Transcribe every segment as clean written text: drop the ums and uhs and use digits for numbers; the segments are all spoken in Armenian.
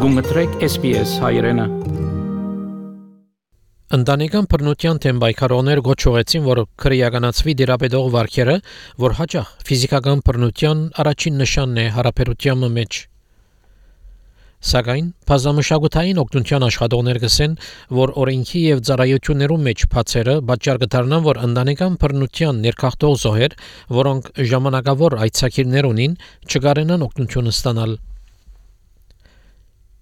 Գումտրեք SPS հայրենը։ Ընտանեկան բռնության թեմ պայքարողներ գոչուեցին, որ քրեականացվի դիրապետող վարքերը, որ հաճախ ֆիզիկական բռնության առաջին նշանն է հարաբերության մեջ։ Սակայն բազմամշակութային օգնության աշխատողներ գսեն, որ օրենքի եւ ծառայություններու մեջ բացերը պատճառ կդառնան, որ ընտանեկան բռնության ներքախտող զոհեր, որոնք ժամանակավոր այցակիրներ ունին, չկարենան օգնություն ստանալ։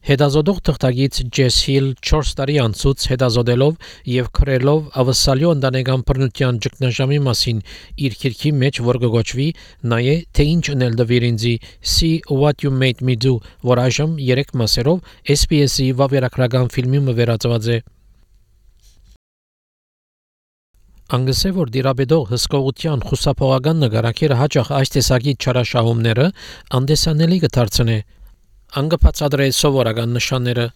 Հետազոտող թղթակից Ջես Հիլ 4 տարի անցուց հետազոտելով եւ քրելով ավսալյո ընտանեկան բռնության ճգնաժամի մասին իր քիրքի մեջ, որ կգոչվի նայե թե ինչ ունել դվիր ինձի See What You Made Me Do, որ այժմ 3 մասերով SBS-ի վավերագրական ֆիլմի մվերածված է։ Անգսե որ դիրապետող հսկողության խուսափողական նկարակերը հաճախ այս տեսակի չարաշահումները անդեսանելի կդարձնե անգպացադրե սովորական նշանները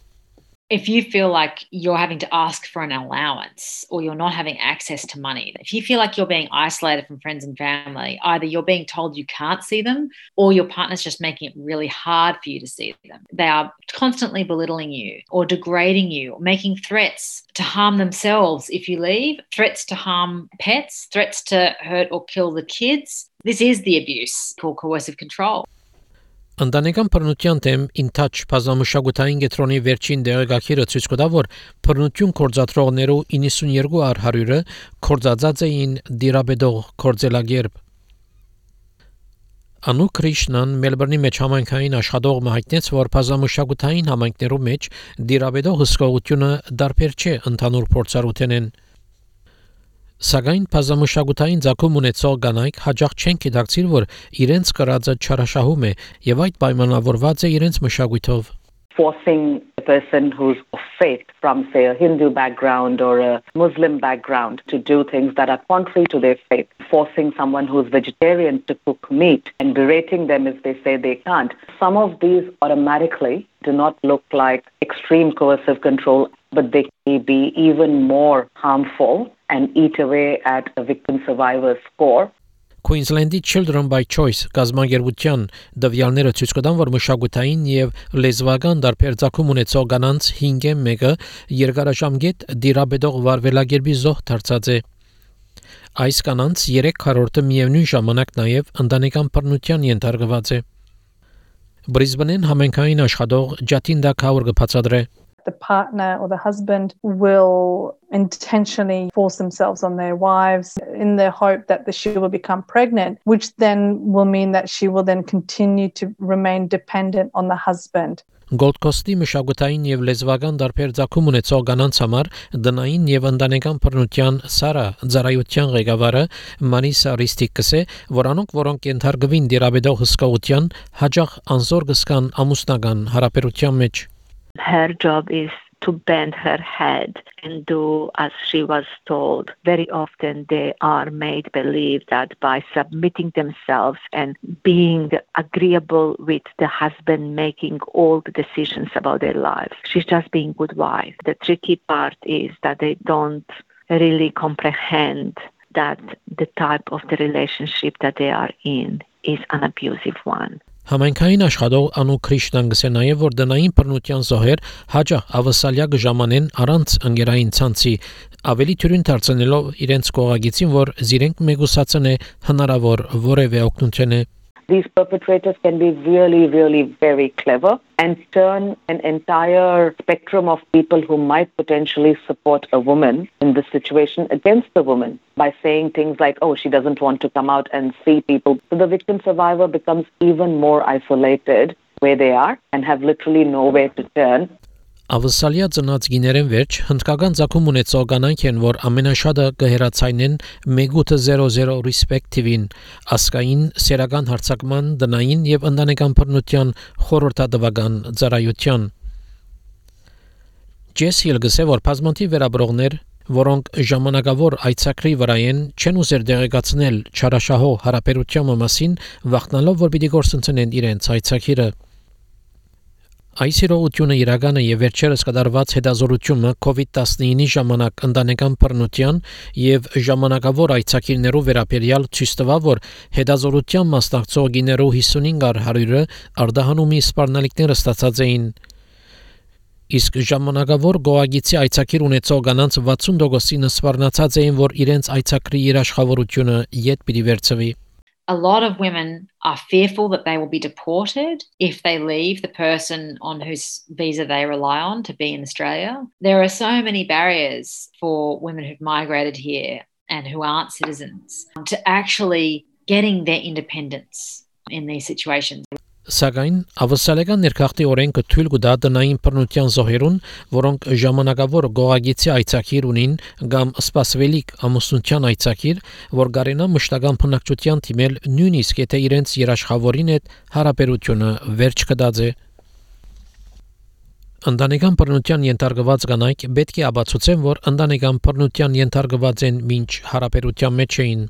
If you feel like you're having to ask for an allowance or you're not having access to money, if you feel like you're being isolated from friends and family, either you're being told you can't see them or your partner's just making it really hard for you to see them. They are constantly belittling you or degrading you, or making threats to harm themselves if you leave, threats to harm pets, threats to hurt or kill the kids. This is the abuse called coercive control. Ընտանեկան բռնության թեմ ինտաչ բազմամշակութային կենտրոնի վերջին դեղեկագիրը ցույց կտա, որ բռնություն գործադրողներու 92%-ը կորցածած էին դիրապետող կորձելագերբ։ Անու Քրիշնան Մելբուրնի մեջ համայնքային աշխատող հայտնեց, որ բազմամշակութային համայնքներու մեջ դիրապետող հսկողությունը դարբեր չէ ընդհանուր փորձառութենեն։ Սակայն բազմամշակութային ցակում ունեցող կանայք հաճախ չեն գիտակցիր, որ իրենց կրածը չարաշահում է եւ այդ պայմանավորված է իրենց մշակույթով։ Forcing a person who's of faith from, say, a Hindu background or a Muslim background to do things that are contrary to their faith. Forcing someone who's vegetarian to cook meat and berating them if they say they can't. Some of these automatically do not look like extreme coercive control, but they may be even more harmful and eat away at a victim-survivor score. Queensland-ի Children by Choice գազագերբության դվյալները ցույց կտան, որ մշակութային եւ լեզվական դարբեր ցակում ունեցող կանանց 5-1-ը երկարաժամկետ դիրապետող վարվելագերբի զոհ դարձած է։ Այս կանանց 3/4-ը միևնույն ժամանակ նաեւ ընտանեկան բռնության ենթարկված է։ Բրիզբենին համայնքային աշխատող Ջատինդա Քաուրը բացատրե The partner or the husband will intentionally force themselves on their wives in the hope that she will become pregnant, which then will mean that she will then continue to remain dependent on the husband. Gold Coast-ի մշակութային եւ լեզվական դարբեր ցակում ունեցող կանանց համար դնային եւ ընտանեկան բռնության Սարա ծառայության ղեկավարը Մարիսա Ռիստիկսը, որոնք ենթարկվին դիրապետող հսկողության հաջող անզոր գսկան ամուսնական հարաբերության մեջ Her job is to bend her head and do as she was told. Very often they are made believe that by submitting themselves and being agreeable with the husband making all the decisions about their lives. She's just being a good wife. The tricky part is that they don't really comprehend that the type of the relationship that they are in is an abusive one. Համայնքային աշխատող Անու Քրիշնան գսե նաև որ դնային բռնության զոհեր հաճախ ավասալյա գժամանեն առանց ընկերային ցանցի ավելի թյուրին դարձնելով իրենց կողագիցին որ զիրենք մեգուսացնե հնարավոր որևէ օգնություն է These perpetrators can be really, really very clever and turn an entire spectrum of people who might potentially support a woman in this situation against the woman by saying things like, oh, she doesn't want to come out and see people. So the victim survivor becomes even more isolated where they are and have literally nowhere to turn. Ավսալյա ծնած գիներեն վերջ հնդկական ցակում ունեցող կանայք են, որ ամենաշատը կհերացայնեն 1800 respective-ին, ասկային սերական հարցակման, դնային եւ ընտանեկան բռնության խորհրդատվական ծառայության։ Ջես Հիլ գսե որ բազմաթիվ վերաբրողներ, որոնք ժամանակավոր այցակրի վրա են, չեն ուզեր դեղեկացնել չարաշահող հարաբերության մասին, վախնալով որ պիտի գործընծնեն իրենց այցակիրը։ Այս իրողությունը իրականը եւ վերջերս կդարված հետազորությունը COVID-19-ի ժամանակ ընտանեկան բռնության եւ ժամանակավոր այցակիրներու վերաբերյալ ցույց տվավ, որ հետազորության մասնակցող գիներու 55%-ը արդահանումի սպառնալիքները ստացած էին։ Իսկ ժամանակավոր գոհագիցի այցակիր ունեցող կանանց 60%-ը սվառնացած էին, որ իրենց այցակրի երաշխավորությունը յետ պիտի վերցվի. A lot of women are fearful that they will be deported if they leave the person on whose visa they rely on to be in Australia. There are so many barriers for women who've migrated here and who aren't citizens to actually getting their independence in these situations. Սակայն ավսալեգան ներքախտի օրենքը թույլ կտա տնային բռնության զոհերուն, որոնք ժամանակավոր գոհագիցի այցակիր ունին կամ սպասվելիք ամուսնության այցակիր, որ գարենա մշտական բնակչության թիմել նույնիսկ եթե իրենց երաշխավորին հետ հարաբերությունը վերջ կդածե. Ընտանեկան բռնության ենթարկված կանայք պետք է ապացուցեն, որ ընտանեկան բռնության ենթարկված են մինչ հարաբերության մեջ էին.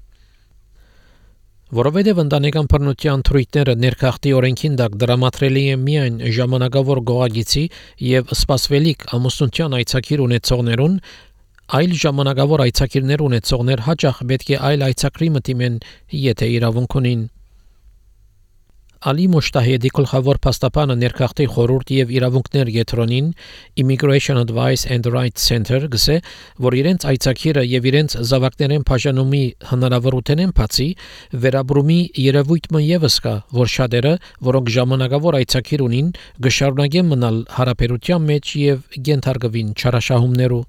Որովհետև ընտանեկան բռնության թրույթները ներքախտի օրենքին դակ դրամատրելի են միայն ժամանակավոր գոհագիցի եւ սպասվելիք ամուսնության այցակիր ունեցողներուն, այլ ժամանակավոր այցակիրներ ունեցողներ հաճախ պետք է այլ այցակրի մտիմեն, եթե իրավունք ունին. Ալի Մոշտահեդի գլխավոր փաստաբանը ներքախտի խորհուրդ եւ իրավունքներ գետրոնին Immigration Advice and Rights Center գսե, որ իրենց այցակիրը եւ իրենց զավակներեն բաժանումի հնարավորությունեն բացի վերաբրումի երևույթը եւս կա, որ շատերը, որոնք ժամանակավոր այցակիր ունին, գշարունակեն մնալ հարաբերության մեջ եւ գենթարգվին չարաշահումներու.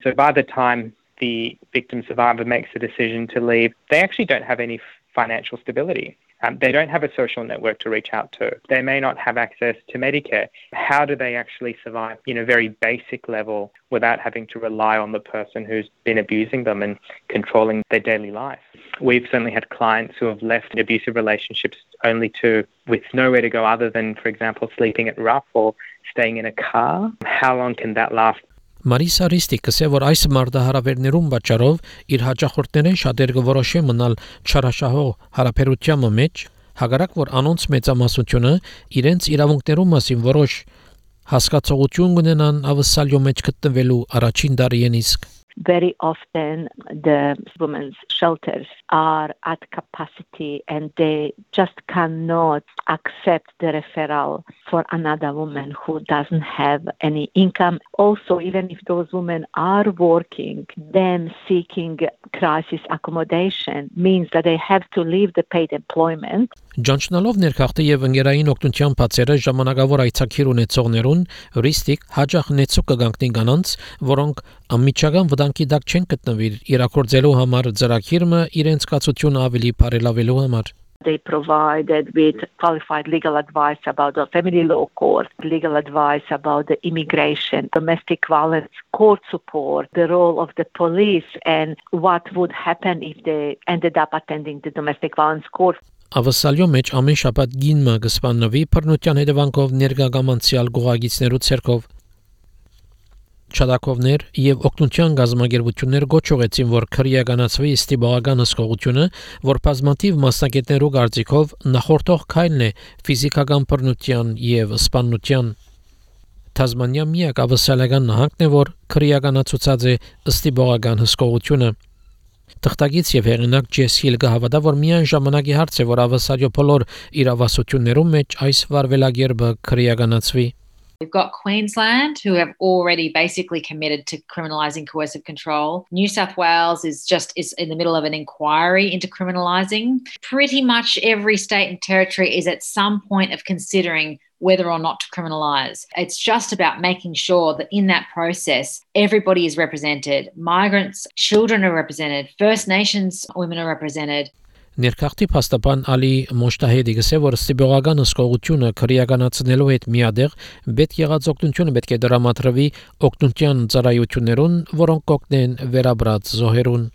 So by the time the victim survivor makes the decision to leave, they actually don't have any financial stability. They don't have a social network to reach out to. They may not have access to Medicare. How do they actually survive in a very basic level without having to rely on the person who's been abusing them and controlling their daily life? We've certainly had clients who have left abusive relationships only with nowhere to go other than, for example, sleeping at rough or staying in a car. How long can that last? Մարիսա Ռիստիկը ասել, որ այս մարտահրավերներուն պատճառով իր հաճախորդներեն շատեր կորոշեն մնալ չարաշահող հարաբերության մեջ, հակառակ որ անոնց մեծամասնությունը իրենց իրավունքներու մասին որոշ հասկացողություն ունենան ավսալյո մեջ գտնվելու առաջին դարիեն իսկ. Very often the women's shelters are at capacity and they just cannot accept the referral for another woman who doesn't have any income. Also, even if those women are working, them seeking crisis accommodation means that they have to leave the paid employment. Ջանչնալով ներքախտի եւ ընկերային օգնության բացերը ժամանակավոր այցակիր ունեցողներուն ռիստիկ հաջող նեցու կգանքնի կանանց, որոնք անմիջական վտանգի դակ չեն գտնվի իրակորձելու համար ծրագիրը իրենց կացությունը ավելի բարելավելու համար. They provided with qualified legal advice about the family law court, legal advice about the immigration, domestic violence, court support, the role of the police, and what would happen if they ended up attending the domestic violence court. Ավսալյո մեջ ամեն շաբաթ գինմը կսպանվի բռնության հետևանքով ներգաղամանցիալ գոհագիցներու ցերկով. Չադակովներ եւ օգնության գազམ་ագերբություններ գոչողեցին, որ քրեականացվի ստիպողական հսկողությունը, որ բազմաթիվ մասնակիցներու կարծիքով նախորդող քայլն է ֆիզիկական բռնության եւ սպանության. Թազմանիա միակ ավսալական նահանգն է, որ քրեականացուցած է ստիպողական հսկողությունը. Թղթակից եւ հեղինակ Ջես Հիլգը հավատա, որ միայն ժամանակի հարց է, որ ավսալյո բոլոր իրավասություններու մեջ այս վարվելագերբը քրեականացվի. We've got Queensland, who have already basically committed to criminalising coercive control. New South Wales is in the middle of an inquiry into criminalising. Pretty much every state and territory is at some point of considering whether or not to criminalise. It's just about making sure that in that process, everybody is represented. Migrants, children are represented. First Nations women are represented. Ներքախտի փաստաբան Ալի Մոշտահեդի գսե, որ ստիպողական հսկողությունը քրեականացնելու հետ միադեղ պետք եղած օգնությունը պետք է դրամատրվի օգնության ծառայություններուն, որոնք կօգնեն վերաբրած զոհերուն.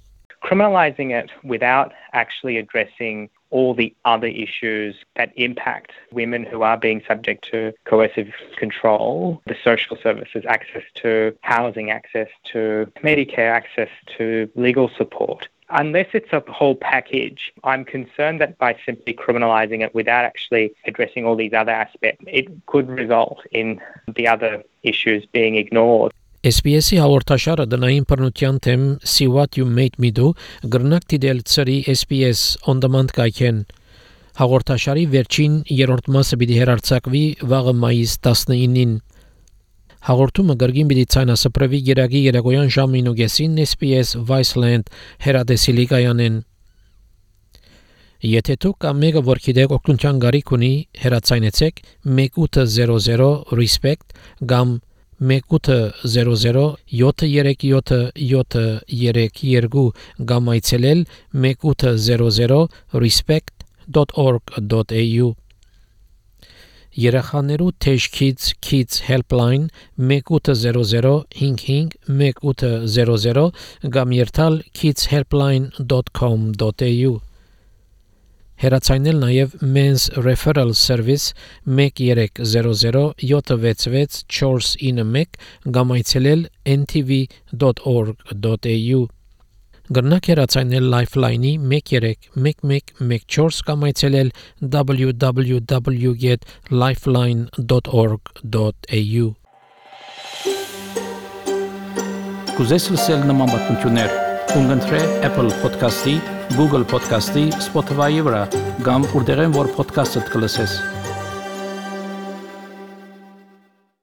Criminalising it without actually addressing all the other issues that impact women who are being subject to coercive control, the social services, access to housing, access to Medicare, access to legal support. Unless it's a whole package, I'm concerned that by simply criminalising it without actually addressing all these other aspects, it could result in the other issues being ignored. SBS-ի հաղորդաշարը դնային բռնության թեմ See What You Made Me Do գրնակ դիտել ծրի SBS On Demand կայքեն. Հաղորդաշարի վերջին երրորդ մասը պիտի հեռարձակվի վաղը մայիս 19-ին. Հաղորդումը գրգին պիտի ցայնասպրվի Գերագի Երագոյան ժամը 9:30 SPS Viceland հեռադեսիլի կայանեն։ Եթե դուք կամ մեկը որ գիտեք օգնության գարիք ունի, հեռացայնեցեք 1800 respect կամ 1800 737 կամ այցելել 1800 respect.org.au Երեխաներու Teach Kids Helpline 1800 55 1800 կամ երթալ kidshelpline.com.au Հեռացայնել նաև Men's Referral Service 1300 766 491 կամ այցելել ntv.org.au Գրնակ հեռացայնել Lifeline-ի 131114 կամ այցելել www.lifeline.org.au Կուզես լսել նման բանություններ, կընտրե Apple Podcast-ի, Google Podcast-ի, Spotify-ի վրա, կամ որտեղեն որ podcast-ը կլսես։